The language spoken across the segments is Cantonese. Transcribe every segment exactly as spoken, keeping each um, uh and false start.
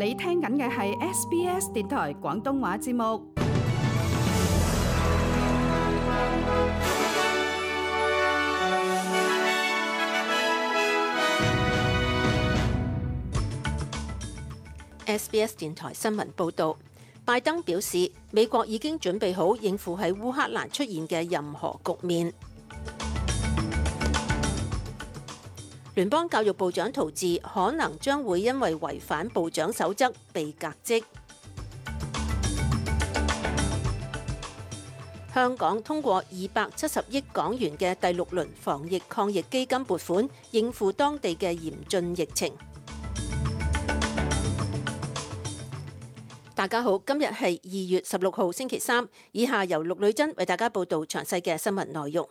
你聽緊嘅係 S B S 電台廣東話節目。S B S 電台新聞報導，拜登表示美國已經準備好應付喺烏克蘭出現嘅任何局面。聯邦教育部長陶治可能將會因為違反部長守則被革職。香港通過二百七十億港元嘅第六輪防疫抗疫基金撥款，應付當地嘅嚴峻疫情。大家好，今日係二月十六號星期三，以下由陸女珍為大家報道詳細嘅新聞內容。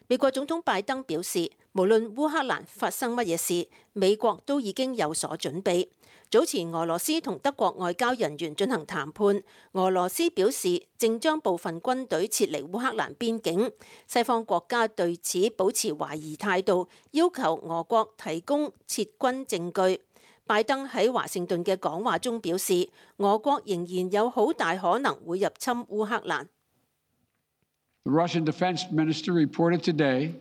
美國總統拜登表示，無論烏克蘭發生乜嘢事，美國都已經有所準備。早前俄羅斯同德國外交人員進行談判，俄羅斯表示正將部分軍隊撤離烏克蘭邊境，西方國家對此保持懷疑態度，要求俄國提供撤軍證據。拜登喺華盛頓嘅講話中表示，俄國仍然有好大可能會入侵烏克蘭。The Russian Defense Minister reported today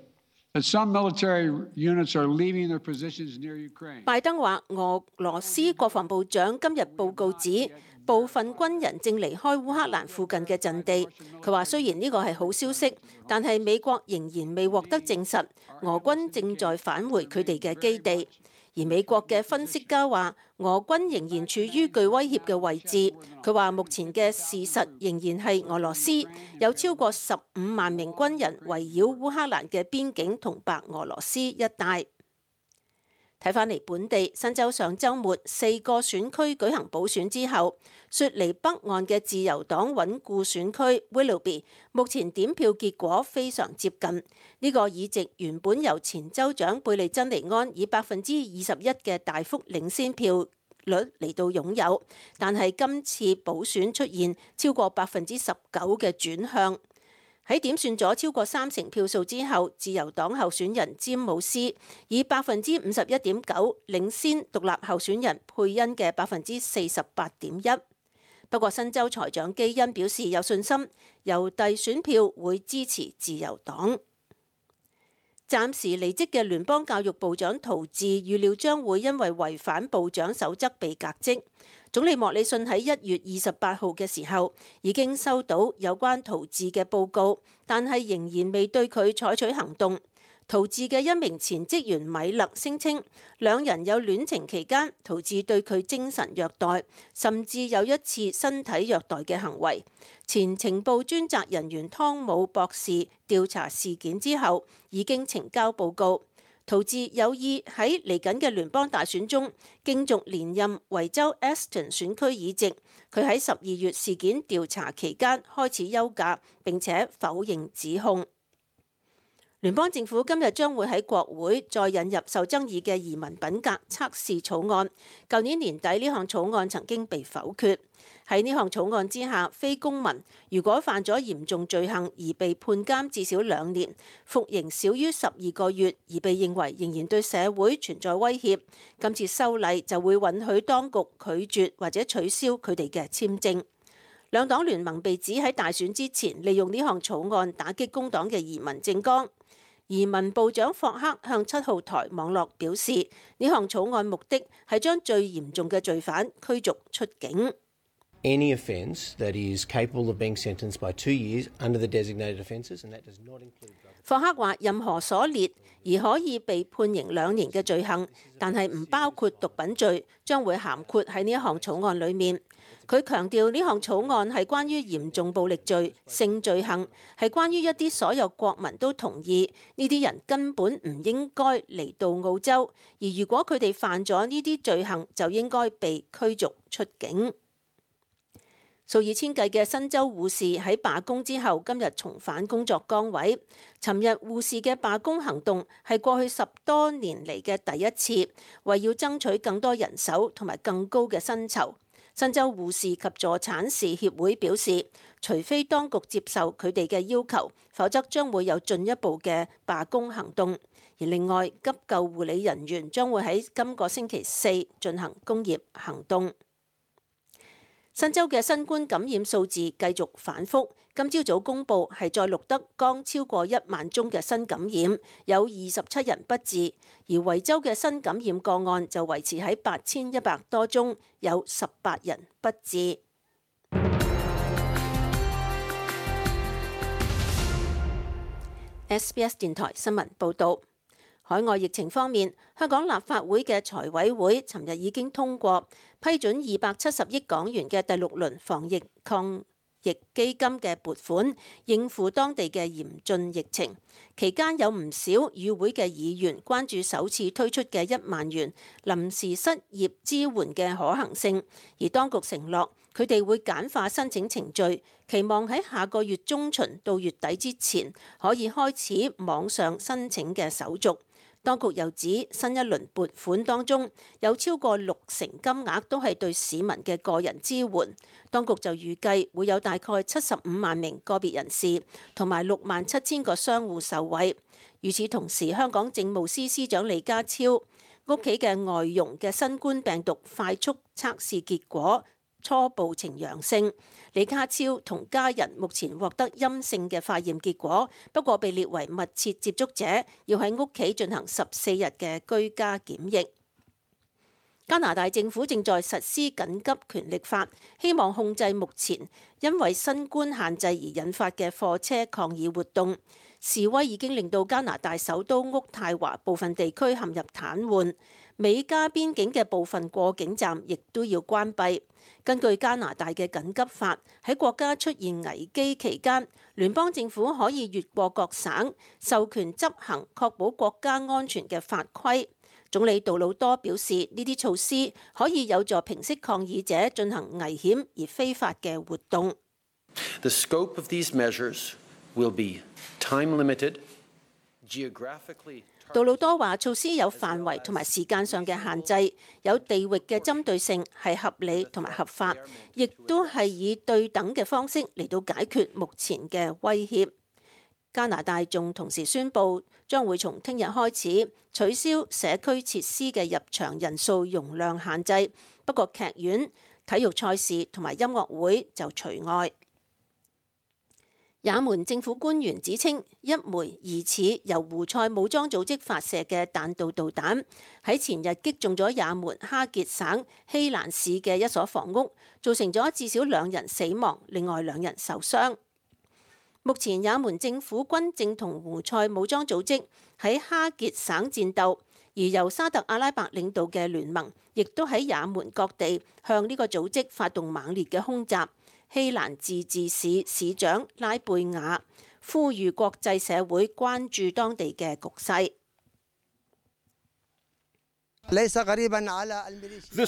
that some military units are leaving their positions near Ukraine. 拜登話，俄羅斯國防部長今日報告指，部分軍人正離開烏克蘭附近嘅陣地。佢話雖然呢個係好消息，但係美國仍然未獲得證實，俄軍正在返回佢哋嘅基地。而美國嘅分析家話，俄軍仍然處於具威脅嘅位置。佢話目前嘅事實仍然係俄羅斯有超過十五萬名軍人圍繞烏克蘭嘅邊境同白俄羅斯一帶。睇返嚟本地，新州上週末四個選區舉行補選之後，雪梨北岸嘅自由黨穩固選區 Willoughby 目前點票結果非常接近。呢、這個議席原本由前州長貝利珍尼安以百分之二十一嘅大幅領先票率嚟到擁有，但係今次補選出現超過百分之十九嘅轉向。喺點算咗超過三成票數之後，自由黨候選人詹姆斯以百分之五十一點九領先獨立候選人佩恩嘅百分之四十八點一。不過新州財長基恩表示有信心，郵遞選票會支持自由黨。暫時離職嘅聯邦教育部長陶治預料將會因為違反部長守則被革職。總理莫里遜喺一月二十八號嘅時候已經收到有關陶治嘅報告，但係仍然未對佢採取行動。陶治嘅一名前職員米勒聲稱，兩人有戀情期間，陶治對佢精神虐待，甚至有一次身體虐待嘅行為。前情報專責人員湯姆博士調查事件之後，已經呈交報告。陶治有意喺嚟緊嘅聯邦大選中競逐連任維州 Aston 選區議席。佢喺十二月事件調查期間開始休假，並且否認指控。聯邦政府今日將會喺國會再引入受爭議嘅移民品格測試草案。舊年年底呢項草案曾經被否決。喺呢項草案之下，非公民如果犯咗嚴重罪行而被判監至少兩年，服刑少於十二個月而被認為仍然對社會存在威脅，今次修例就會允許當局拒絕或者取消佢哋嘅簽證。兩黨聯盟被指喺大選之前利用呢項草案打擊工黨嘅移民政綱。移民部長霍克向七號台網絡表示，呢項草案目的係將最嚴重嘅罪犯驅逐出境。Any offence that is capable of being sentenced by two years under the designated offences, and that does not include. 霍克話：任何所列而可以被判刑兩年嘅罪行，但係唔包括毒品罪，將會涵括喺呢一項草案裡面。佢強調呢項草案係關於嚴重暴力罪、性罪行，係關於一啲所有國民都同意呢啲人根本唔應該嚟到澳洲，而如果佢哋犯咗呢啲罪行，就應該被驅逐出境。數以千計嘅新州護士喺罷工之後，今日重返工作崗位。尋日護士嘅罷工行動係過去十多年嚟嘅第一次，為要爭取更多人手同埋更高嘅薪酬。新州護士及助產士協會表示，除非當局接受佢哋嘅要求，否則將會有進一步嘅罷工行動。而另外，急救護理人員將會喺今個星期四進行工業行動。新州嘅新冠感染數字繼續反覆，今朝早公佈係再錄得剛超過一萬宗嘅新感染，有二十七人不治，而維州嘅新感染個案就維持喺八千一百多宗，有十八人不治。S B S 電台新聞報導。海外疫情方面，香港立法會嘅財委會尋日已經通過批准二百七十億港元嘅第六輪防疫抗疫基金嘅撥款，應付當地嘅嚴峻疫情。期間有唔少與會嘅議員關注首次推出嘅一萬元臨時失業支援嘅可行性，而當局承諾佢哋會簡化申請程序，期望喺下個月中旬到月底之前可以開始網上申請嘅手續。當局又指新一輪撥款當中有超過六成金額都係對市民嘅個人支援，當局就預計會有大概七十五萬名個別人士同埋六萬七千個商戶受惠。與此同時，香港政務司司長李家超屋企嘅外傭嘅新冠病毒快速測試結果初步呈陽性，李家超同家人目前獲得陰性嘅化驗結果，不過被列為密切接觸者，要喺屋企進行十四日嘅居家檢疫。加拿大政府正在實施緊急權力法，希望控制目前因為新冠限制而引發嘅貨車抗議活動。示威已經令到加拿大首都渥太華部分地區陷入癱瘓，美加邊境嘅部分過境站亦都要關閉。根據加拿大嘅緊急法，喺國家出現危機期間，聯邦政府可以越過各省，授權執行確保國家安全嘅法規。總理杜魯多表示，呢啲措施可以有助平息抗議者進行危險而非法嘅活動。The scope of these measures will be time limited, geographically. 杜魯多話：措施有範圍同埋時間上嘅限制，有地域嘅針對性，係合理同埋合法，亦都係以對等嘅方式嚟到解決目前嘅威脅。加拿大仲同時宣布，將會從聽日開始取消社區設施嘅入場人數容量限制，不過劇院、體育賽事同埋音樂會就除外。也門政府官員指稱，一枚疑似由胡塞武裝組織發射嘅彈道導彈喺前日擊中咗也門哈傑省希蘭市嘅一所房屋，造成咗至少兩人死亡，另外兩人受傷。目前也門政府軍正同胡塞武裝組織喺哈傑省戰鬥，而由沙特阿拉伯領導嘅聯盟亦都喺也門各地向呢個組織發動猛烈嘅空襲。希蘭自治市市長拉貝亞呼籲國際社會關注當地嘅局勢。This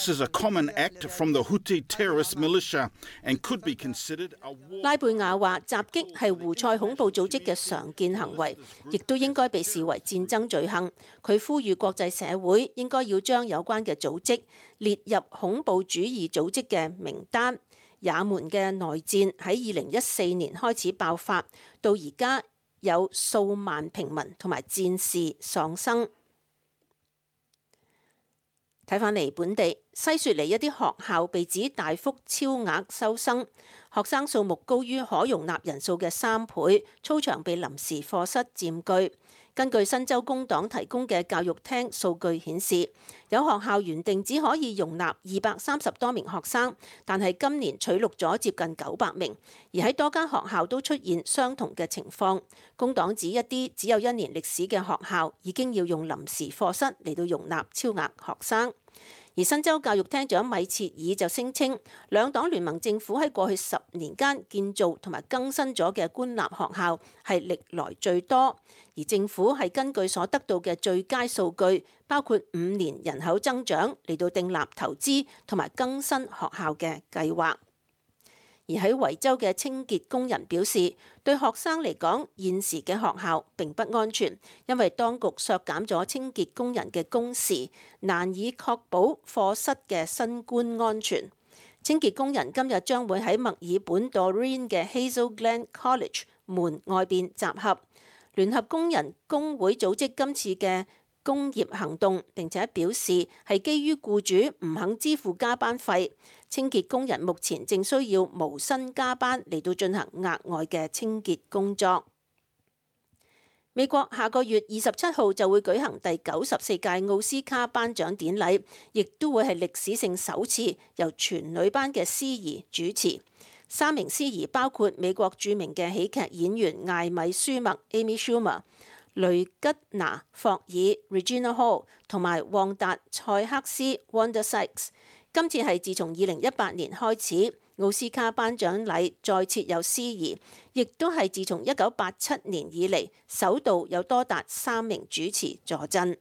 is a common act from the Houthi terrorist militia and could be considered a war. 拉貝亞話：襲擊係胡塞恐怖組織嘅常見行為，亦都應該被視為戰爭罪行。佢呼籲國際社會應該要將有關嘅組織列入恐怖主義組織嘅名單。也門嘅內戰喺二零一四年開始爆發，到而家有數萬平民同埋戰士喪生。睇返嚟本地，西雪梨一啲學校被指大幅超額收生，學生數目高於可容納人數嘅三倍，操場被臨時課室佔據。根據新州工黨提供嘅教育廳數據顯示，有學校原定只可以容納二百三十多名學生，但係今年取錄咗接近九百名，而喺多間學校都出現相同嘅情況。工黨指一啲只有一年歷史嘅學校已經要用臨時課室嚟到容納超額學生。而新州教育廳長米切爾就聲稱，兩黨聯盟政府喺過去十年間建造同埋更新咗嘅官立學校係歷來最多，而政府係根據所得到嘅最佳數據，包括五年人口增長嚟到訂立投資同埋更新學校嘅計劃。而喺維州嘅清潔工人表示，對學生嚟講，現時嘅學校並不安全，因為當局削減咗清潔工人嘅工時，難以確保課室嘅新冠安全。清潔工人今日將會喺墨爾本 Doreen 嘅 Hazel Glen College 門外邊集合。聯合工人工會組織今次嘅工業行動，並且表示係基於僱主唔肯支付加班費，清潔工人目前正需要無薪加班嚟到進行額外嘅清潔工作。美國下個月二十七號就會舉行第九十四屆奧斯卡頒獎典禮，亦都會係歷史性首次由全女班嘅司儀主持。三名司儀包括美國著名嘅喜劇演員艾米舒默 （Amy Schumer）、雷吉娜霍爾 （Regina Hall） 同埋旺達塞克斯 （Wanda Sykes）。今次係自從二零一八年開始，奧斯卡頒獎禮再設有司儀，亦都係自從一九八七年以嚟首度有多達三名主持坐鎮。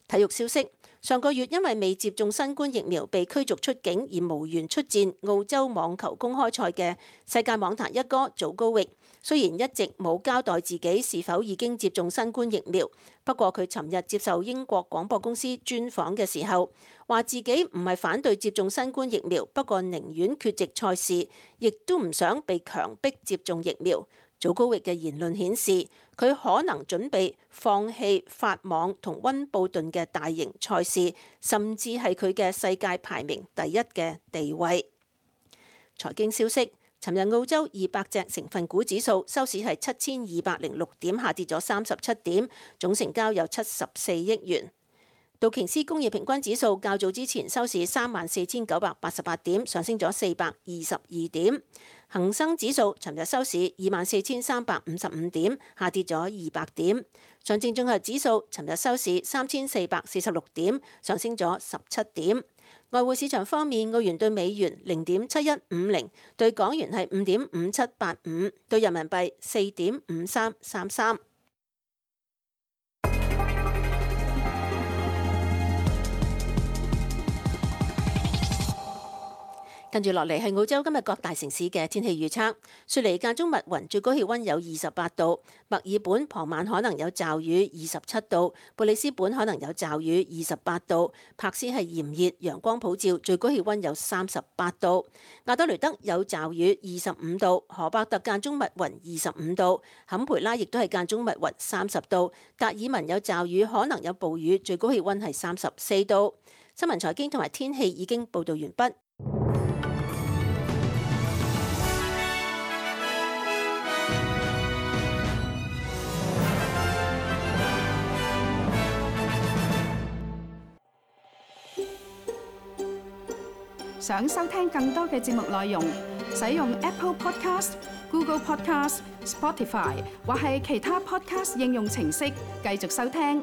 體育消息：上個月因為未接種新冠疫苗被驅逐出境而無緣出戰澳洲網球公開賽嘅世界網壇一哥祖高域，雖然一直冇交代自己是否已經接種新冠疫苗，不過佢尋日接受英國廣播公司專訪嘅時候，話自己唔係反對接種新冠疫苗，不過寧願缺席賽事，亦都唔想被強迫接種疫苗。祖高域嘅言論顯示，佢可能準備放棄法網同溫布頓嘅大型賽事，甚至係佢嘅世界排名第一嘅地位。財經消息：尋日澳洲二百隻成分股指數收市係七千二百零六點，下跌咗三十七點，總成交有七十四億元。道瓊斯工業平均指數較早之前收市三萬四千九百八十八點，上升咗四百二十二點。恒生指數尋日收市二萬四千三百五十五點，下跌咗二百點。上證綜合指數尋日收市三千四百四十六點，上升咗十七點。外匯市場方面，澳元對美元零點七一五零，對港元係五點五七八五，對人民幣四點五三三三。跟住落嚟係澳洲今日各大城市嘅天氣預測。雪梨間中密雲，最高氣溫有二十八度；墨爾本傍晚可能有驟雨，二十七度；布里斯本可能有驟雨，二十八度；柏斯係炎熱，陽光普照，最高氣溫有三十八度；亞德雷德有驟雨，二十五度；荷伯特間中密雲，二十五度；坎培拉亦都係間中密雲，三十度；達爾文有驟雨，可能有暴雨，最高氣溫係三十四度。新聞財經同埋天氣已經報道完畢。想收聽更多嘅節目內容，使用 Apple Podcast、Google Podcast、Spotify 或係其他 Podcast 應用程式繼續收聽。